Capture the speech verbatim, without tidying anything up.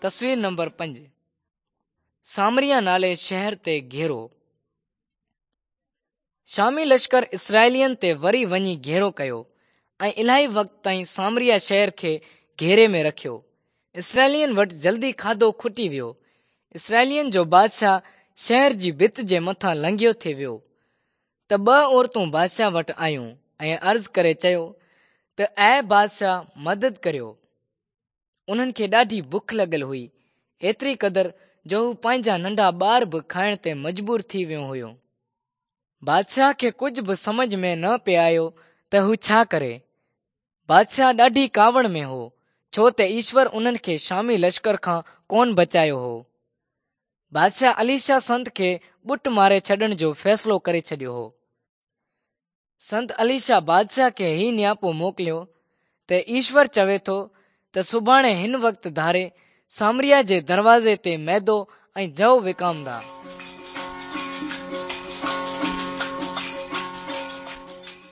تصوير نمبر پنج سامريا نالي شهر تي گهيرو. شامي لشڪر اسرائيلين تي وري وڃي گهيرو ڪيو ۽ الاهي وقت تائين سامريا شهر کي گهيري ۾ رکيو. اسرائيلين وٽ جلدي کاڌو کٽي ويو. اسرائيلين جو بادشاهه شهر جي ڀت جي مٿان لنگهيو ٿي ويو ته ٻه عورتون بادشاهه وٽ آيون ۽ عرض ڪري چيو ته اي بادشاهه مدد ڪريو. انهن کي ڏاڍي بک لڳل هئي، ايتري قدر جو هو پنهنجا ننڍا ٻار به کائڻ تي مجبور ٿي ويون هيون. بادشاهه کي ڪجهه به سمجهه ۾ نه پئي آيو ته هو ڇا ڪري. بادشاهه ڏاڍي ڪاوڙ ۾ هو، ڇو ته ايشور انهن کي شامي لشڪر کان ڪونه بچايو هو. بادشاهه اليشع سنت کي ٻٽ ماري ڇڏڻ جو فيصلو ڪري ڇڏيو هو. سنت اليشع بادشاهه کي هي نياپو موڪليو ته ايشور چوي ٿو ته سڀاڻي هن وقت ڌاري سامريا جي دروازي تي ميدو ۽ جؤ وڪامندا.